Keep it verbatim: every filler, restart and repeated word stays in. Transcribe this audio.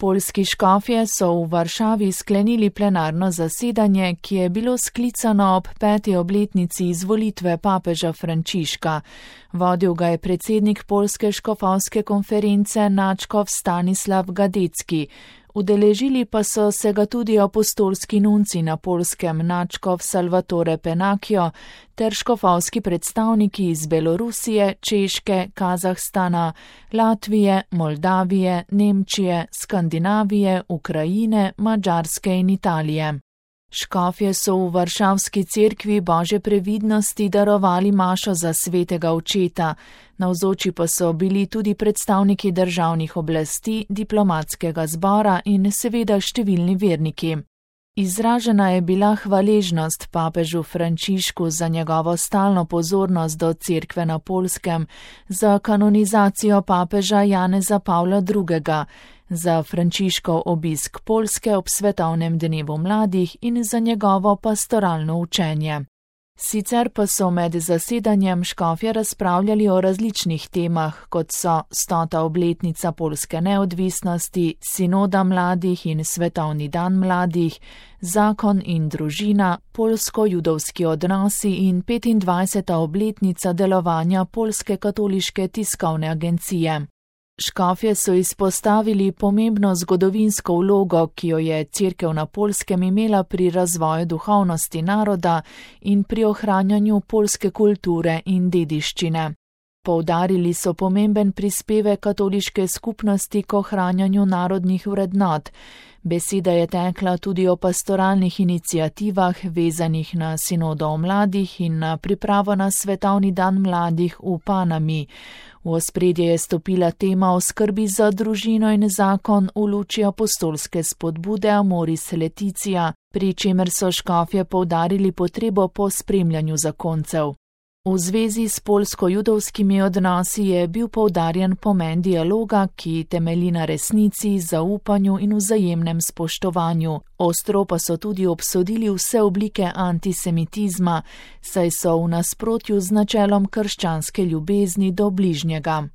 Poljski škofje so v Varšavi sklenili plenarno zasedanje, ki je bilo sklicano ob peti obletnici izvolitve papeža Frančiška. Vodil ga je predsednik Poljske škofovske konference nadškof Stanislav Gadecki. Udeležili pa so se ga tudi apostolski nunci na Poljskem nadškof Salvatore Penakio ter škofovski predstavniki iz Belorusije, Češke, Kazahstana, Latvije, Moldavije, Nemčije, Skandinavije, Ukrajine, Madžarske in Italije. Škofje so v varšavski cerkvi Božje previdnosti darovali mašo za svetega očeta, navzoči pa so bili tudi predstavniki državnih oblasti, diplomatskega zbora in seveda številni verniki. Izražena je bila hvaležnost papežu Frančišku za njegovo stalno pozornost do cerkve na Poljskem, za kanonizacijo papeža Janeza Pavla drugega, za Frančiškov obisk Poljske ob svetovnem dnevu mladih in za njegovo pastoralno učenje. Sicer pa so med zasedanjem škofje razpravljali o različnih temah, kot so stota obletnica poljske neodvisnosti, sinoda mladih in svetovni dan mladih, zakon in družina, poljsko-judovski odnosi in petindvajseta obletnica delovanja Poljske katoliške tiskovne agencije. Škofje so izpostavili pomembno zgodovinsko vlogo, ki jo je cerkev na Poljskem imela pri razvoju duhovnosti naroda in pri ohranjanju poljske kulture in dediščine. Poudarili so pomemben prispevek katoliške skupnosti k ohranjanju narodnih vrednot. Beseda je tekla tudi o pastoralnih iniciativah, vezanih na sinodo o mladih in na pripravo na svetovni dan mladih v Panami. V ospredje je stopila tema o skrbi za družino in zakon v luči apostolske spodbude Amoris Laetitia, pri čemer so škofje poudarili potrebo po spremljanju zakoncev. V zvezi s poljsko-judovskimi odnosi je bil poudarjen pomen dialoga, ki temelji na resnici, zaupanju in vzajemnem spoštovanju. Ostro pa so tudi obsodili vse oblike antisemitizma, saj so v nasprotju z načelom krščanske ljubezni do bližnjega.